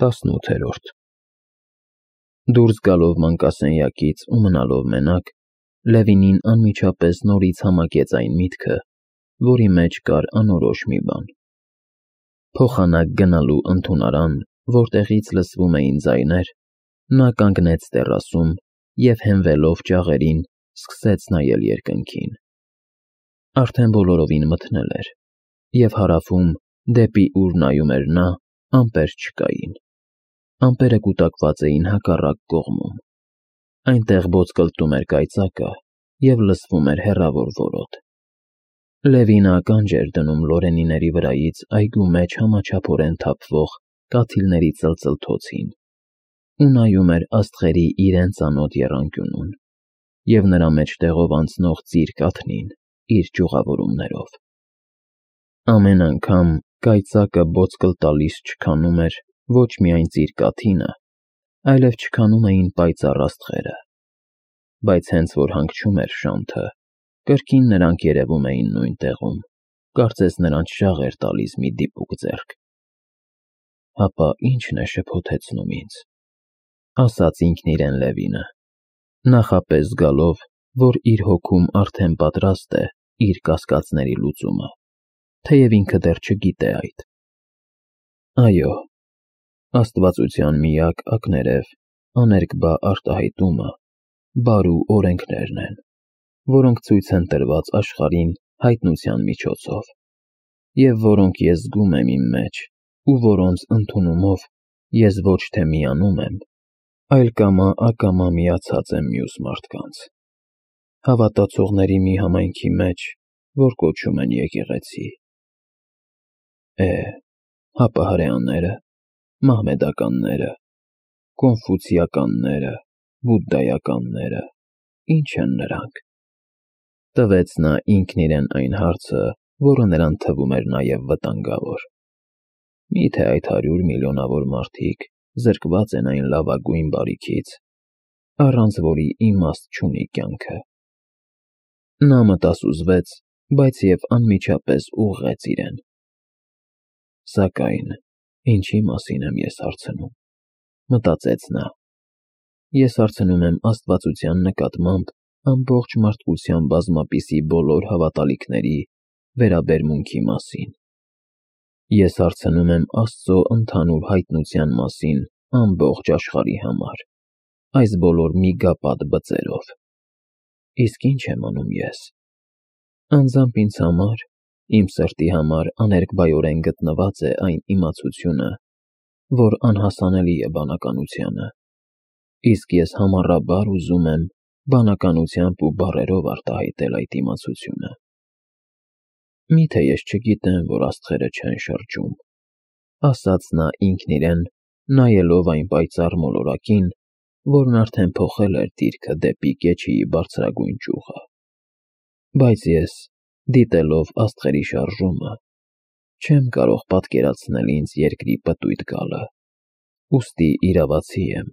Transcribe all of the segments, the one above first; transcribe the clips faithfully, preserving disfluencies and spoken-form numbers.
տասնութերորդ Դուրս գալով մանկասենյակից ու մնալով մենակ, Լևինին անմիջապես նորից համակեց այն միտքը, որի մեջ կար անորոշ մի բան. փոխանակ գնալու ընդունարան, որտեղից լսվում էին ձայներ, նա կանգնեց տեռասում և հենվելով ճաղերին, սկսեց նայել երկնքին. արդեն բոլորովին մթնել էր, և հարավում, դեպի ուր նայում էր նա, ամպեր չկային. ամպերը կուտակված էին հակառակ կողմում. այնտեղ ոսկլտում էր կայծակը և լսվում էր հեռավոր որոտ. Լևինը ականջ էր դնում լորենիների վրայից այգու մեջ համաչափորեն թափվող կաթիլների ծլծլթոցին ու նայում էր աստղերի իրեն ծանոթ եռանկյունուն և նրա մեջտեղով անցնող ծիր կաթնին իր ճյուղավորումներով. ամեն անգամ կայծակը ոսկլտալիս չքանում էր ոչ միայն ծիր կաթինը, այլև չքանում էին պայծառ աստղերը, բայց հենց որ հանգչում էր շանթը, կրկին նրանք երևում էին նույն տեղում, կարծես նրանց շաղ էր տալիս մի դիպուկ ձեռք։ Հապա ի՞նչն է շփոթեցնում ինձ, ասաց ինքն իրեն Լևինը, նախապես զգալով, որ իր հոգում արդեն պատրաստ է իր կասկածների լուծումը, թեև ինքը դեռ չգիտե այդ։ Այո, աստվածության միակ ակներև, աներկբա արտահայտումը բարու օրենքներն են, որոնք ցույց են տրված աշխարհին հայտնության միջոցով, և որոնք ես զգում եմ իմ մեջ ու որոնց ընդունումով ես ոչ թե միանում եմ, այլ կամա-ակամա միացած եմ մյուս մարդկանց, հավատացողների մի համայնքի մեջ, որ կոչում են եկեղեցի։ Է, հապա հրեաները, մահմեդականները, կոնֆուցիականները, բուդդայականները, ի՞նչ են նրանք։ Տվեց նա ինքն իրեն այն հարցը, որը նրան թվում էր նաև վտանգավոր. միթե այդ հարյուր միլիոնավոր մարդիկ զրկված են այն լավագույն բարիքից, առանց որի իմաստ չունի կյանքը։ Նա մտասուզվեց, բայց և անմիջապես ուղղեց իրեն. Սակայն ինչի մասին եմ ես հարցնում, մտածեց նա, ես հարցնում եմ աստվածության նկատմամբ ամբողջ մարդկության բազմապիսի բոլոր հավատալիքների վերաբերմունքի մասին, ես հարցնում եմ Աստծո ընդհանուր հայտնության մասին ամբողջ աշխարհի համար, այս բոլոր միգապատ բծերով, իսկ ի՞նչ եմ անում ես, անձամբ ինձ համար, իմ սրտի համար աներկբայորեն գտնված է այն իմացությունը, որ անհասանելի է բանականությանը, իսկ ես համառաբար ուզում եմ բանականությամբ ու բառերով արտահայտել այդ իմացությունը։ Միթե ես չգիտեմ, որ աստղերը չեն շրջում, ասաց նա ինքն իրեն, նայելով այն պայծառ մոլորակին, որն արդեն փոխել էր դիրքը դեպի կեչիի բարձրագույն ճյուղը, բայց ես, դիտելով աստղերի շարժումը, չեմ կարող պատկերացնել ինձ երկրի պտույտ գալը, ուստի իրավացի եմ,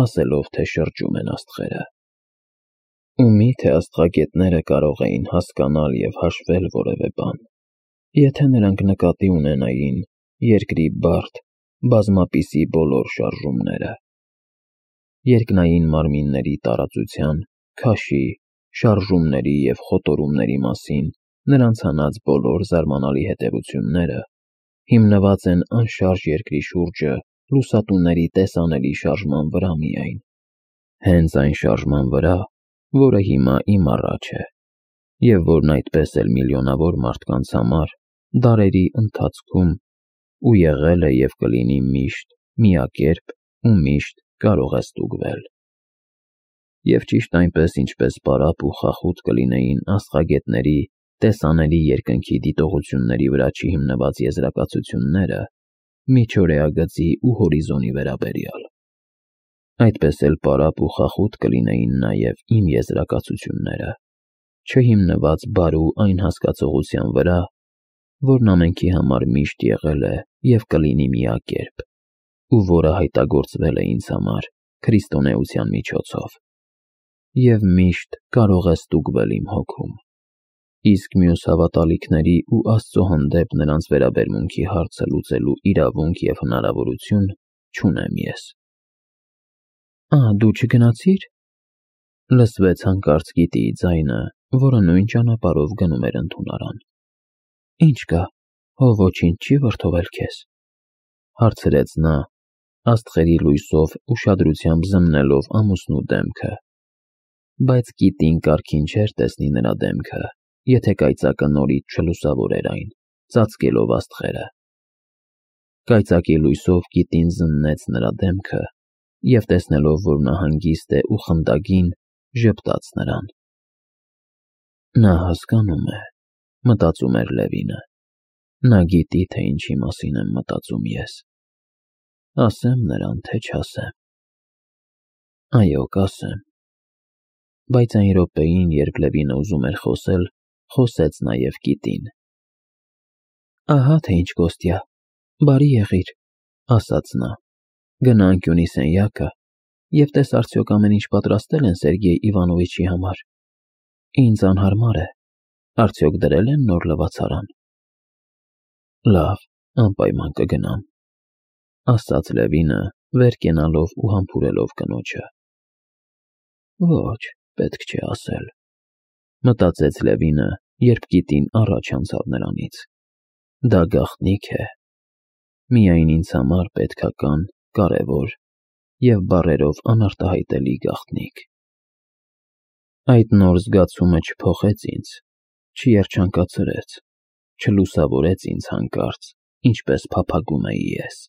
ասելով, թե շրջում են աստղերը։ Ու միթե աստղագետները կարող էին հասկանալ և հաշվել որևէ բան, եթե նրանք նկատի ունենային երկրի բարդ, բազմապիսի բոլոր շարժումները, երկնային մարմինների տարածության, քաշի, շարժումների և խոտորումների մասին նրանց հանած բոլոր զարմանալի հետևությունները հիմնված են անշարժ երկրի շուրջը լուսատուների տեսանելի շարժման վրա միայն, հենց այն շարժման վրա, որը հիմա իմ առաջ է, և որն այդպես էլ միլիոնավոր մարդկանց համար դարերի ընթացքում ու եղել է և կլինի միշտ միակերպ ու միշտ կարող է ստուգվել։ Եվ ճիշտ այնպես, ինչպես պարապ ու խախուտ կլինեին աստղագետների տեսանելի երկնքի դիտողությունների վրա չհիմնված եզրակացությունները միջօրյա գծի ու հորիզոնի վերաբերյալ, այդպես էլ պարապ ու խախուտ կլինեին նաև իմ եզրակացությունները, չհիմնված բարու այն հասկացողության վրա, որն ամենքի համար միշտ եղել է և կլինի միակերպ, ու որը հայտնագործվել է ինձ համար քրիստոնեության միջոցով, և միշտ կարող է ստուգվել իմ հոգում։ Իսկ մյուս հավատալիքների ու Աստծո հանդեպ նրանց վերաբերմունքի հարցը լուծելու իրավունք և հնարավորություն չունեմ ես։ Ա, դու չգնացիր։ Լսվեց հանկարծ Կիտիի ձայնը, որը նույն ճանապարհով գնում էր ընդունարան։ Ինչ կա, հո ոչինչ չի վրդովել քեզ, հարցրեց նա, աստղերի լույսով ուշադրությամբ զննելով ամուսնու դեմքը, բայց Կիտին կարգին չէր տեսնի նրա դեմքը, եթե կայծակը նորից չլուսավորեր այն, ծածկելով աստղերը։ Կայծակի լույսով Կիտին զննեց նրա դեմքը և տեսնելով, որ նա հանգիստ է ու խնդագին, ժպտաց նրան։ Նա հասկանում է, մտածում էր Լևինը, նա գիտի, թե ինչի մասին եմ մտածում ես։ Ասեմ նրան, թե չասեմ։ Այո, կասեմ։ Բայց այն րոպեին, երբ Լևինը ուզում էր խոսել, խոսեց նաև Կիտին։ Ահա թե ինչ կոստյա, բարի եղիր, ասաց նա, գնա անկյունի սենյակը և տես արդյոք ամեն ինչ պատրաստել են Սերգեյ Իվանովիչի համար։ Ինձ անհարմար է, արդյոք դրել են նոր լվացարան։ Լավ, անպայման կգնամ, ասաց Լևինը, վեր կենալով ու համբուրելով կնոջը։ Ոչ, պետք չէ ասել, մտածեց Լևինը, երբ Կիտին առաջ անցավ նրանից։ Դա գաղտնիք է։ Միայն ինձ համար պետքական, կարևոր և բառերով անարտահայտելի գաղտնիք։ Այդ նոր զգացումը չփոխեց ինձ, չերջանկացրեց, չլուսավորեց ինձ հանկարծ, ինչպես փափագում էի ես։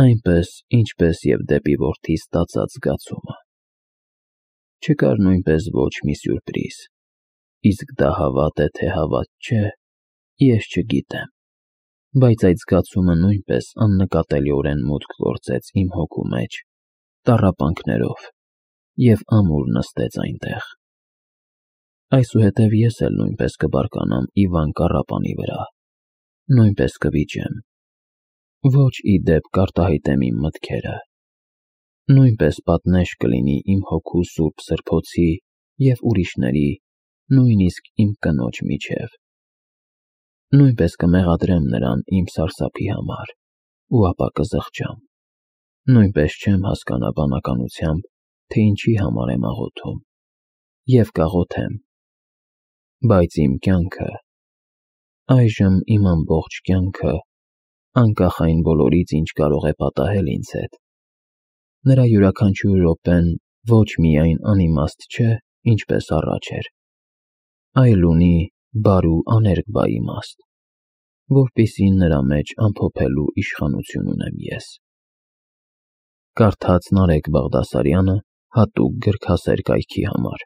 Այնպես, ինչպես և դեպի որդիս ստացած զգացումը։ Չկար նույնպես ոչ մի սյուրպրիզ, իսկ դա հավատ է, թե հավատ չէ, ես չգիտեմ, բայց այդ զգացումը նույնպես աննկատելիորեն մուտք գործեց իմ հոգու մեջ, տառապանքներով, և ամուր նստեց այնտեղ։ Այսուհետև ես էլ նույնպես կբարկանամ Իվան Կառապանի վրա, նույնպես կվիճեմ, ոչ ի դեպ կարտահայտեմ իմ մտքերը, նույնպես պատնեշ կլինի իմ հոգու սուրբ սրբոցի և ուրիշների, նույնիսկ իմ կնոջ միջև։ Նույնպես կմեղադրեմ նրան իմ սարսափի համար ու ապա կզղջամ, նույնպես չեմ հասկանա բանականությամբ, թե ինչի համար եմ աղոթում, և կաղոթեմ, բայց իմ կյանքը, այժմ իմ ամբողջ կյանքը, անկախ այն բոլորից, ինչ կարող է պատահել ինձ հետ, նրա յուրաքանչյուր րոպեն ոչ միայն անիմաստ չէ, ինչպես առաջ էր, այլ ունի բարու աներկբա իմաստ, որպեսզի նրա մեջ ամփոփելու իշխանություն ունեմ ես։ Կարդաց Նարեկ Բաղդասարյանը հատուկ գրքասեր կայքի համար։